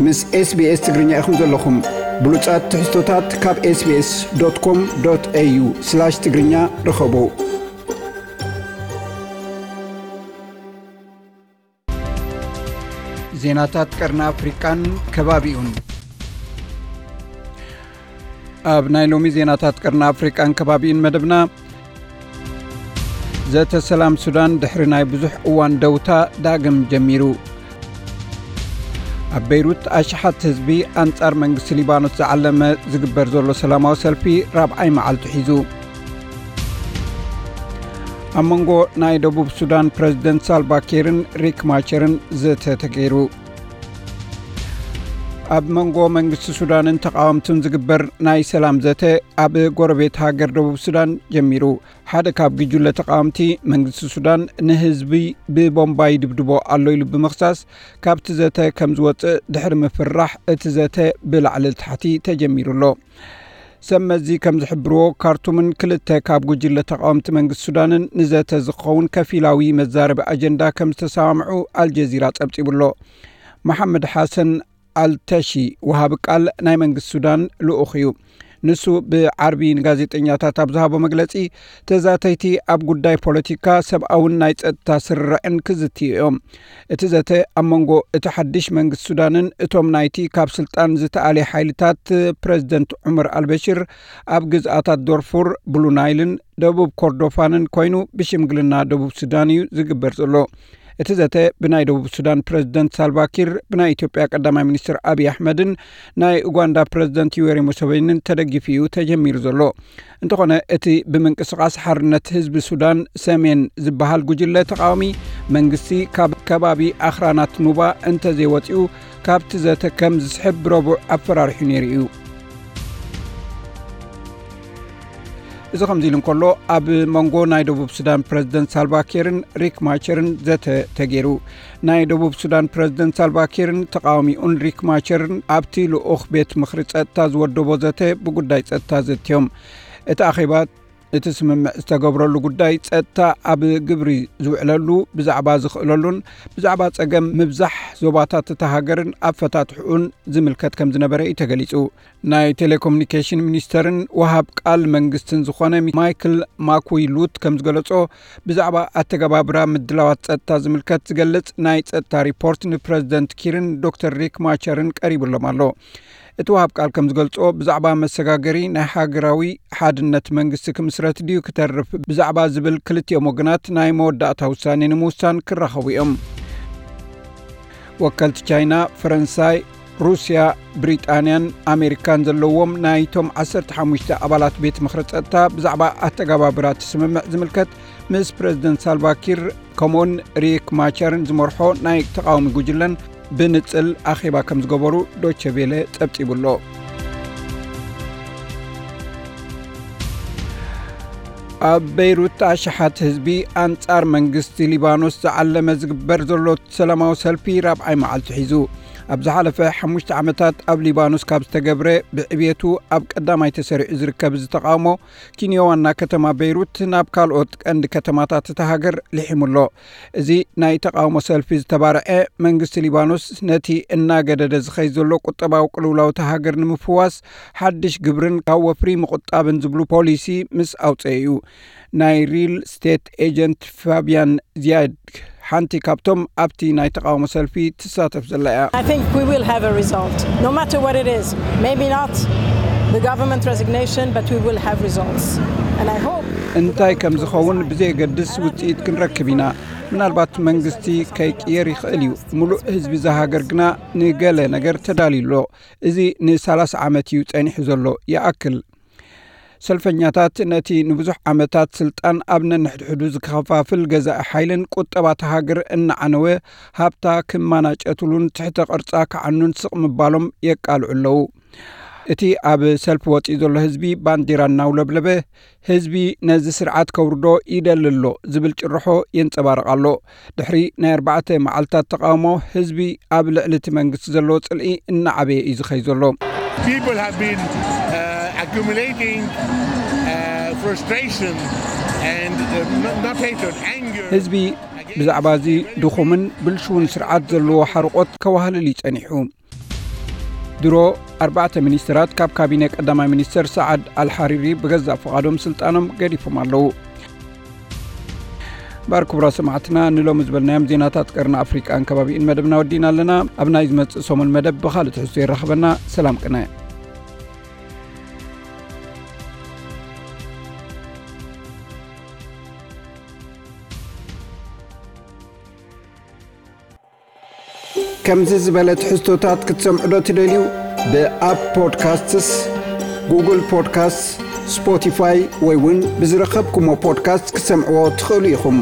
ምስ SBS ትግርኛ ኢኹም ዘለኹም። ብሉጻት ትሕዝቶታት ካብ SBS.com.au/ትግርኛ ርኸቡ። ዜናታት ቀርኒ ኣፍሪቃን ከባቢኡን። ኣብ ናይ ሎሚ ዜናታት ቀርኒ ኣፍሪቃን ከባቢኡን መደብና፣ ዘተ ሰላም ሱዳን ድሕሪ ናይ ብዙሕ እዋን ደውታ ዳግም ጀሚሩ። ኣብ በይሩት ኣሽሓት ህዝቢ ኣንጻር መንግስቲ ሊባኖስ ዝዓለመ ዝግበር ዘሎ ሰላማዊ ሰልፊ ራብዓይ መዓልቱ ሒዙ። ኣብ መንጎ ናይ ደቡብ ሱዳን ፕረዚደንት ሳልቫ ኪርን ሪክ ማቸርን ዘተ ተገይሩ። ኣብ መንጎ መንግስቲ ሱዳንን ተቃወምትን ዝግበር ናይ ሰላም ዘተ ኣብ ጎረቤት ሃገር ደቡብ ሱዳን ጀሚሩ። ሓደ ካብ ጉጅለ ተቃወምቲ፣ መንግስቲ ሱዳን ንህዝቢ ብቦምባ ይድብድቦ ኣሎ ኢሉ ብምኽሳስ፣ ካብቲ ዘተ ከም ዝወጽእ ድሕሪ ምፍራሕ፣ እቲ ዘተ ብላዕሊ ታሕቲ ተጀሚሩ ኣሎ። ሰብ መዚ ከም ዝሕብርዎ፣ ካርቱምን ክልተ ካብ ጉጅለ ተቃወምቲ መንግስቲ ሱዳንን ንዘተ ዝኸውን ከፊላዊ መዛረቢ ኣጀንዳ ከም ዝተሰማምዑ ኣልጀዚራ ጸብጺቡ ኣሎ። መሓመድ ሓሰን ኣልተሺ፣ ወሃቢ ቃል ናይ መንግስቲ ሱዳን ልኡኽ እዩ። ንሱ ብዓርቢ ንጋዜጠኛታት ኣብ ዝሃቦ መግለጺ፣ ተዛተይቲ ኣብ ጉዳይ ፖለቲካ፣ ሰብኣውን ናይ ጸጥታ ስርርዕን ክዝትዩ እዮም። እቲ ዘተ ኣብ መንጎ እቲ ሓድሽ መንግስቲ ሱዳንን እቶም ናይቲ ካብ ስልጣን ዝተኣልየ ሓይልታት ፕረዚደንት ዑመር ኣልበሽር ኣብ ግዝኣታት ዶርፉር፣ ብሉ ናይልን ደቡብ ኮርዶፋንን ኮይኑ ብሽምግልና ደቡብ ሱዳን እዩ ዝግበር ዘሎ። እቲ ዘተ ብናይ ደቡብ ሱዳን ፕረዚደንት ሳልቫ ኪር፣ ብናይ ኢትዮጵያ ቀዳማይ ሚኒስትር ኣብይ ኣሕመድን ናይ ኡጋንዳ ፕረዚደንት ዩዌሪ ሙሰቬኒን ተደጊፉ እዩ ተጀሚሩ ዘሎ። እንተኾነ፣ እቲ ብምንቅስቓስ ሓርነት ህዝቢ ሱዳን ሰሜን ዝበሃል ጉጅለ ተቃዋሚ፣ መንግስቲ ካብ ከባቢ ኣኽራናት ኑባ እንተዘይወጺኡ፣ ካብቲ ዘተ ከም ዝስሕብ ብረቡዕ ኣፈራሪሑ ነይሩ እዩ። እዚ ከምዚ ኢሉ እንከሎ፣ ኣብ መንጎ ናይ ደቡብ ሱዳን ፕረዚደንት ሳልቫ ኪርን ሪክ ማቸርን ዘተ ተገይሩ። ናይ ደቡብ ሱዳን ፕረዚደንት ሳልቫ ኪርን ተቃዋሚኡን ሪክ ማቸርን ኣብቲ ልኡኽ ቤት ምኽሪ ጸጥታ ዝወደቦ ዘተ ብጉዳይ ጸጥታ ዘትዮም። እቲ ኣኼባ፣ እቲ ስምምዕ ዝተገብረሉ ጉዳይ ጸጥታ ኣብ ግብሪ ዝውዕለሉ፣ ብዛዕባ ዝኽእለሉን ብዛዕባ ጸገም ምብዛሕ ዞባታት እታ ሃገርን ኣፈታትሕኡን ዝምልከት ከም ዝነበረ እዩ ተገሊጹ። ናይ ቴሌኮሙኒኬሽን ሚኒስተርን ወሃብ ቃል መንግስትን ዝኾነ ማይክል ማኩይ ሉት ከም ዝገለጾ፣ ብዛዕባ ኣተገባብራ ምድላዋት ጸጥታ ዝምልከት ዝገልጽ ናይ ጸጥታ ሪፖርት ንፕረዚደንት ኪርን ዶክተር ሪክ ማቸርን ቀሪብሎም ኣሎ። እቲ ወሃብ ቃል ከም ዝገልጾ፣ ብዛዕባ መሰጋገሪ ናይ ሃገራዊ ሓድነት መንግስቲ ክምስረት ድዩ ክተርፍ ብዛዕባ ዝብል ክልቲኦም ወገናት ናይ መወዳእታ ውሳኔ ንምውሳን ክራኸቡ እዮም። ወከልቲ ቻይና፣ ፈረንሳይ፣ ሩስያ፣ ብሪጣንያን ኣሜሪካን ዘለዎም ናይቶም ዓሰርተ ሓሙሽተ ኣባላት ቤት ምኽሪ ጸጥታ ብዛዕባ ኣተገባብራ እቲ ስምምዕ ዝምልከት ምስ ፕረዚደንት ሳልቫ ኪር ከምኡውን ሪክ ማቸርን ዝመርሖ ናይ ተቃዋሚ ጉጅለን ብንጽል ኣኼባ ከም ዝገበሩ ዶቸ ቬለ ጸብጺቡ ኣሎ። ኣብ በይሩት ኣሽሓት ህዝቢ ኣንጻር መንግስቲ ሊባኖስ ዝዓለመ ዝግበር ዘሎ ሰላማዊ ሰልፊ ራብዓይ መዓልቱ ሒዙ። ኣብ ዝሓለፈ ሓሙሽተ ዓመታት ኣብ ሊባኖስ ካብ ዝተገብረ ብዕብየቱ ኣብ ቀዳማይ ተሰሪዑ ዝርከብ እዚ ተቃውሞ፣ ኪንዮ ዋና ከተማ በይሩት ናብ ካልኦት ቀንዲ ከተማታት እታ ሃገር ልሒሙ ኣሎ። እዚ ናይ ተቃውሞ ሰልፊ ዝተባርዐ፣ መንግስቲ ሊባኖስ ነቲ እናገደደ ዝኸይድ ዘሎ ቁጠባዊ ቅልውላው እታ ሃገር ንምፍዋስ፣ ሓድሽ ግብርን ካብ ወፍሪ ምቁጣብን ዝብሉ ፖሊሲ ምስ ኣውፀአ እዩ። ናይ ሪል ስቴት ኤጀንት ፋቢያን ዚያድ፣ ሓንቲ ካብቶም ኣብቲ ናይ ተቃውሞ ሰልፊ ትሳተፍ ዘላ እያ። I think we will have a result, no matter what it is. Maybe not the government resignation, but we will have results. And I hope እንታይ ከም ዝኸውን ብዘየገድስ ውፅኢት ክንረክብ ኢና። ምናልባት መንግስቲ ከይቅየር ይኽእል እዩ። ሙሉእ ህዝቢ እዛ ሃገር ግና ንገለ ነገር ተዳልዩ ኣሎ። እዚ ን30 ዓመት እዩ ጸኒሑ ዘሎ። ይኣክል። ሰልፈኛታት ነቲ ንብዙሕ ዓመታት ስልጣን ኣብ ነንሕድሕዱ ዝከፋፍል ገዛኢ ሓይልን ቁጠባ እታ ሃገር እናዓነወ፣ ሃብታ ክመናጨትሉን ትሕተ ቅርጻ ክዓኑን ስቕ ምባሎም የቃልዑ ኣለዉ። እቲ ኣብ ሰልፊ ወጺኡ ዘሎ ህዝቢ ባንዲራ እናውለብለበ፣ ህዝቢ ነዚ ስርዓት ከውርዶ ይደሊ ኣሎ ዝብል ጭርሖ የንጸባርቕ ኣሎ። ድሕሪ ናይ ኣርባዕተ መዓልታት ተቃውሞ፣ ህዝቢ ኣብ ልዕሊ እቲ መንግስቲ ዘለዎ ጽልኢ እናዓበየ እዩ ዝኸይድ ዘሎ። People have been uh, accumulating uh, frustration and uh, not, not hatred, anger. ህዝቢ ብዛዕባ እዚ ድኹምን ብልሽውን ስርዓት ዘለዎ ሓርቆት ከዋህልል እዩ ጸኒሑ። ድሮ ኣርባዕተ ሚኒስተራት ካብ ካቢነ ቀዳማይ ሚኒስተር ሰዓድ ኣልሓሪሪ ብገዛእ ፍቓዶም ስልጣኖም ገዲፎም ኣለዉ። እምበኣር ክቡራት ሰማዕትና፣ ንሎሚ ዝበልናዮም ዜናታት ቀርኒ ኣፍሪቃን ከባቢኡን መደብና ወዲእና ኣለና። ኣብ ናይ ዝመጽእ ሰሙን መደብ ብኻልእ ትሕዝቶ የራኽበና። ሰላም ቅነ። ከምዚ ዝበለ ትሕዝቶታት ክትሰምዑ ዶ ትደልዩ? ብኣፕ ፖድካስትስ፣ ጉግል ፖድካስትስ፣ ስፖቲፋይ ወይ እውን ብዝረኸብኩሞ ፖድካስት ክትሰምዕዎ ትኽእሉ ኢኹም።